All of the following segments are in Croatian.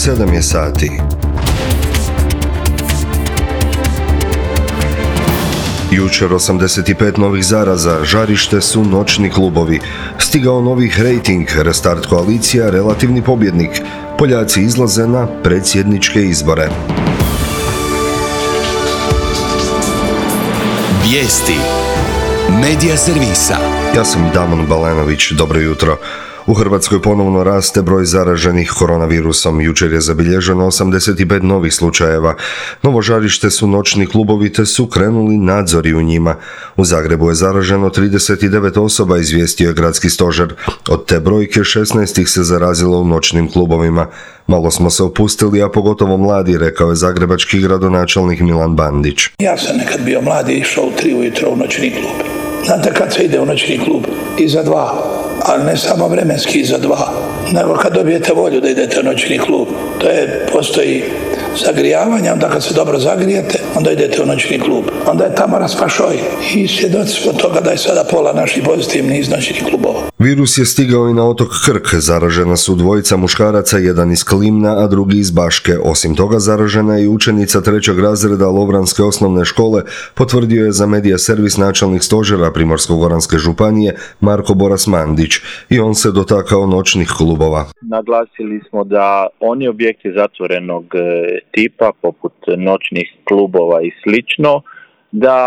7 je sati. Jučer 85 novih zaraza, žarište su noćni klubovi. Stigao novi rejting, restart koalicija, relativni pobjednik. Poljaci izlaze na predsjedničke izbore. Vijesti Medija servisa. Ja sam Damon Balenović, dobro jutro. U Hrvatskoj ponovno raste broj zaraženih koronavirusom. Jučer je zabilježeno 85 novih slučajeva. Novo žarište su noćni klubovi te su krenuli nadzori u njima. U Zagrebu je zaraženo 39 osoba, izvijestio je gradski stožer. Od te brojke 16 ih se zarazilo u noćnim klubovima. Malo smo se opustili, a pogotovo mladi, rekao je zagrebački gradonačelnik Milan Bandić. Ja sam nekad bio mladi i išao u 3 ujutro u noćni klub. Znate kad se ide u noćni klub? Iza 2. Ali ne samo vremenski iza 2, nego kad dobijete volju da idete u noćni klub. Postoji zagrijavanje, onda kad se dobro zagrijete, onda idete u noćni klub. Onda je tamo raspašoj i svjedoci smo toga da je sada pola naših pozitivnih iz noćnih klubova. Virus je stigao i na otok Krk. Zaražena su 2 muškaraca, jedan iz Klimna, a drugi iz Baške. Osim toga, zaražena je i učenica 3. razreda Lovranske osnovne škole, potvrdio je za medija servis načelnik stožera Primorsko-goranske županije Marko Boras Mandić. I on se dotakao noćnih klubova. Naglasili smo da oni objekti zatvorenog tipa, poput noćnih klubova i slično, da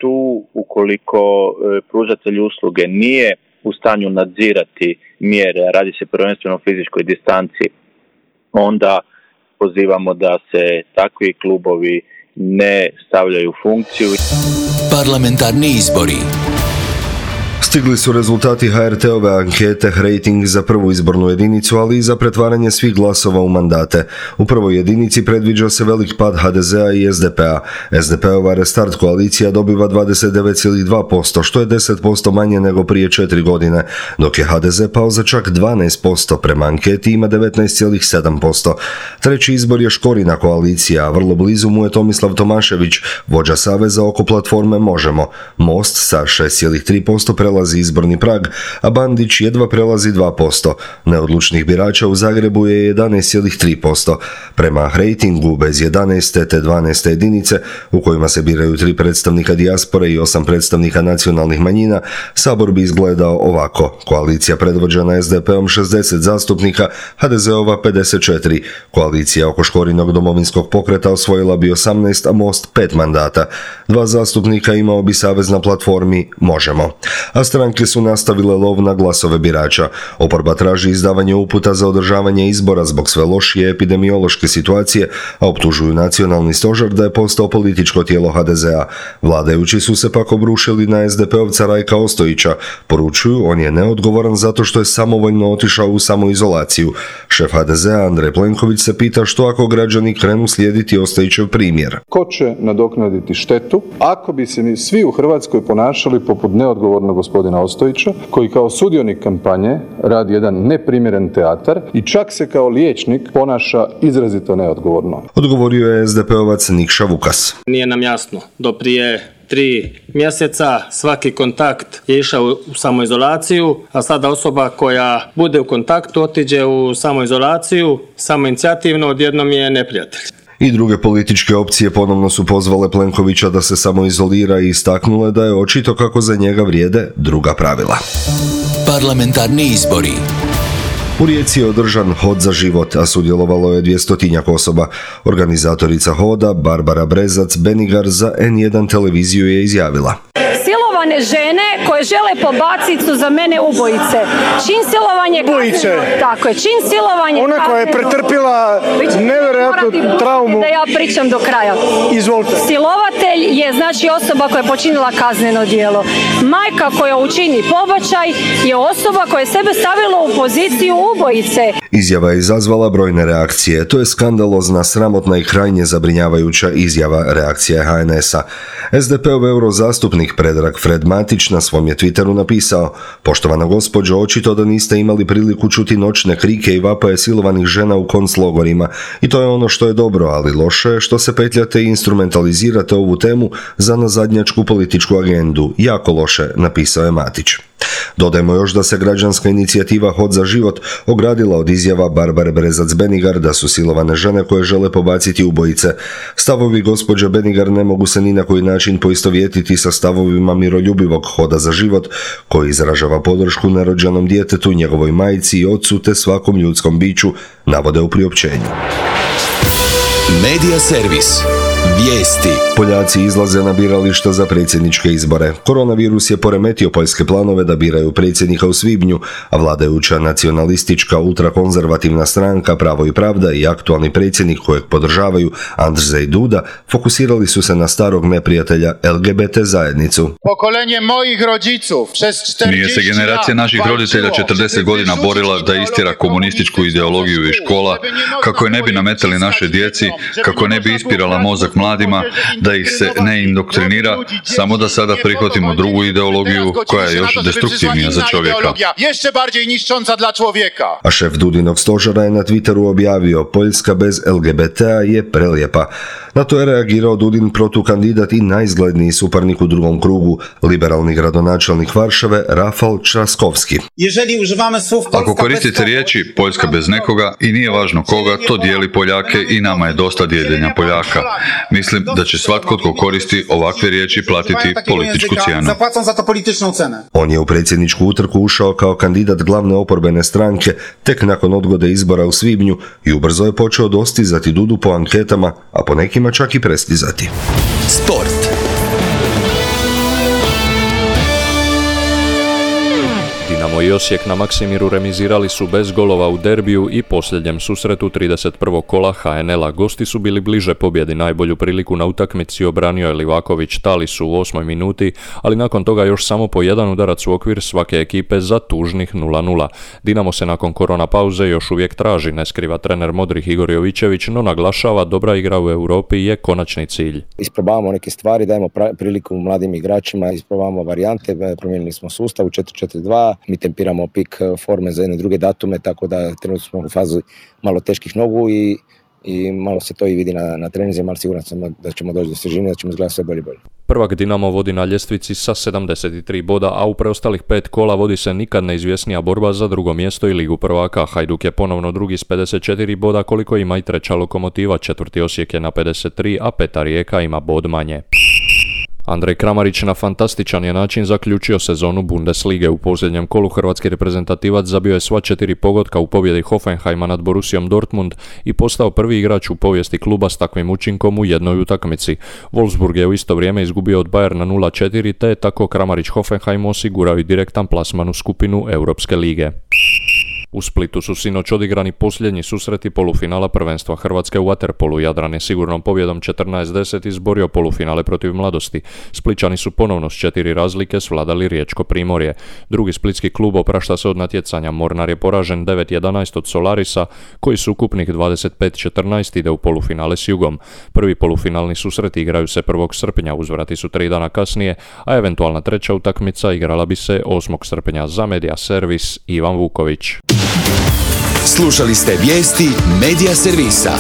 tu ukoliko pružatelj usluge nije u stanju nadzirati mjere, radi se prvenstveno o fizičkoj distanci, onda pozivamo da se takvi klubovi ne stavljaju u funkciju. Parlamentarni izbori. Stigli su rezultati HRT-ove ankete rejting za prvu izbornu jedinicu, ali i za pretvaranje svih glasova u mandate. U prvoj jedinici predviđa se velik pad HDZ-a i SDP-a. SDP-ova restart koalicija dobiva 29,2%, što je 10% manje nego prije 4 godine, dok je HDZ pao za čak 12%, prema anketi ima 19,7%. Treći izbor je Škorina koalicija, a vrlo blizu mu je Tomislav Tomašević, vođa saveza oko platforme Možemo. Most sa 6,3% prelazi izborni prag, a Bandić jedva prelazi 2%. Neodlučnih birača u Zagrebu je 11,3%. Prema rejtingu bez 11. te 12. jedinice, u kojima se biraju 3 predstavnika dijaspore i 8 predstavnika nacionalnih manjina, Sabor bi izgledao ovako. Koalicija predvođena SDP-om 60 zastupnika, HDZ-ova 54. Koalicija oko Škorinog domovinskog pokreta osvojila bi 18, a Most 5 mandata. 2 zastupnika imao bi savez na platformi Možemo. A stranke su nastavile lov na glasove birača. Oporba traži izdavanje uputa za održavanje izbora zbog sve lošije epidemiološke situacije, a optužuju nacionalni stožer da je postao političko tijelo HDZ-a. Vladajući su se pak obrušili na SDP-ovca Rajka Ostojića. Poručuju, on je neodgovoran zato što je samovoljno otišao u samoizolaciju. Šef HDZ-a Andrej Plenković se pita što ako građani krenu slijediti Ostojićev primjer. Ko će nadoknaditi štetu ako bi se svi u Hrvatskoj ponašali poput neodgovornog gospodina Ostojića, koji kao sudionik kampanje radi jedan neprimjeren teatar i čak se kao liječnik ponaša izrazito neodgovorno. Odgovorio je SDP-ovac Nikša Vukas. Nije nam jasno. Do prije 3 mjeseca svaki kontakt je išao u samoizolaciju, a sada osoba koja bude u kontaktu otiđe u samoizolaciju, samoinicijativno odjednom je neprijatelj. I druge političke opcije ponovno su pozvale Plenkovića da se samoizolira i istaknule da je očito kako za njega vrijede druga pravila. Parlamentarni izbori. U Rijeci je održan hod za život, a sudjelovalo je 200 osoba. Organizatorica hoda, Barbara Brezac Benigar, za N1 televiziju je izjavila: silovane žene koje žele pobaciti su za mene ubojice. Čin silovanje ubojice. Tako je, čin silovanje. Ona koja je pretrpila nevjerojatnu traumu. Da ja pričam do kraja. Izvolite. Silovatelj je znači osoba koja je počinila kazneno djelo. Majka koja učini pobačaj je osoba koja je sebe stavila u poziciju ubojice. Izjava je izazvala brojne reakcije. To je skandalozna, sramotna i krajnje zabrinjavajuća izjava, reakcija HNS-a. SDP-ov eurozastupnik Predrag Fred Matić na svom je Twitteru napisao: "Poštovana gospođo, očito da niste imali priliku čuti noćne krike i vapaje silovanih žena u konclogorima i to je ono što je dobro, ali loše je što se petljate i instrumentalizirate ovu temu za nazadnjačku političku agendu. Jako loše", napisao je Matić. Dodajmo još da se građanska inicijativa Hod za život ogradila od izjava Barbare Brezac-Benigar da su silovane žene koje žele pobaciti ubojice. Stavovi gospođe Benigar ne mogu se ni na koji način poistovjetiti sa stavovima miroljubivog Hoda za život, koji izražava podršku nerođenom djetetu, njegovoj majci i ocu te svakom ljudskom biću, navode u priopćenju. Medija servis. Vijesti. Poljaci izlaze na birališta za predsjedničke izbore. Koronavirus je poremetio poljske planove da biraju predsjednika u svibnju, a vladajuća nacionalistička ultrakonzervativna stranka Pravo i pravda i aktualni predsjednik kojeg podržavaju Andrzej Duda fokusirali su se na starog neprijatelja LGBT zajednicu. Pokolenie mojih rodziców przez 40 Nije se generacija naših roditelja 40 godina borila da istjera komunističku ideologiju iz škola, kako je ne bi nametali naše djeci, kako ne bi ispirala mozak mladima, da ih se ne indoktrinira, samo da sada prihvatimo drugu ideologiju koja je još destruktivnija za čovjeka. Jeszcze bardziej niszcząca dla człowieka. A šef Dudinog stožera je na Twitteru objavio: "Poljska bez LGBT-a je prelijepa." Na to je reagirao Dudin protukandidat i najizgledniji suparnik u drugom krugu, liberalni gradonačelnik Varšave Rafal Trzaskowski. Ako koristite riječi Poljska bez nekoga i nije važno koga, to dijeli Poljake i nama je dosta dijeljenja Poljaka. Mislim da će svatko tko koristi ovakve riječi platiti političku cijenu. On je u predsjedničku utrku ušao kao kandidat glavne oporbene stranke tek nakon odgode izbora u svibnju i ubrzo je počeo dostizati Dudu po anketama, a po nekima čak i prestizati. Sport. Dinamo i Osijek na Maksimiru remizirali su bez golova u derbiju i posljednjem susretu 31. kola HNL-a. Gosti su bili bliže pobjedi, najbolju priliku na utakmici obranio je Livaković Talisu u 8. minuti, ali nakon toga još samo po jedan udarac u okvir svake ekipe za tužnih 0-0. Dinamo se nakon korona pauze još uvijek traži, ne skriva trener Modrih Igor Jovićević, no naglašava dobra igra u Europi je konačni cilj. Isprobavamo neke stvari, dajemo priliku mladim igračima, isprobavamo varijante, promijenili smo sustav u 4-4-2, mi tempiramo pik forme za jedne druge datume, tako da trenutno smo u fazi malo teških nogu i malo se to i vidi na treninzima, ali siguran sam da ćemo doći do svježine, da ćemo izgledati sve bolje i bolje. Prvak Dinamo vodi na ljestvici sa 73 boda, a u preostalih 5 kola vodi se nikad neizvjesnija borba za drugo mjesto i Ligu prvaka. Hajduk je ponovno drugi s 54 boda, koliko ima i treća Lokomotiva, četvrti Osijek je na 53, a peta Rijeka ima bod manje. Andrej Kramarić na fantastičan je način zaključio sezonu Bundeslige. U posljednjem kolu hrvatski reprezentativac zabio je sva 4 pogotka u pobjedi Hoffenheima nad Borussiom Dortmund i postao prvi igrač u povijesti kluba s takvim učinkom u jednoj utakmici. Wolfsburg je u isto vrijeme izgubio od Bayerna 0-4, te je tako Kramarić Hoffenheimu osigurao i direktan plasman u skupinu Europske lige. U Splitu su sinoć odigrani posljednji susreti polufinala prvenstva Hrvatske u vaterpolu. Jadran je sigurnom pobjedom 14-10 izborio polufinale protiv Mladosti. Spličani su ponovno s 4 razlike svladali Riječko Primorje. Drugi splitski klub oprašta se od natjecanja. Mornar je poražen 9-11 od Solarisa, koji su ukupnih 25-14 ide u polufinale s Jugom. Prvi polufinalni susreti igraju se 1. srpnja, uzvrati su 3 dana kasnije, a eventualna treća utakmica igrala bi se 8. srpnja. Za Medija servis Ivan Vuković. Slušali ste vijesti Medija servisa.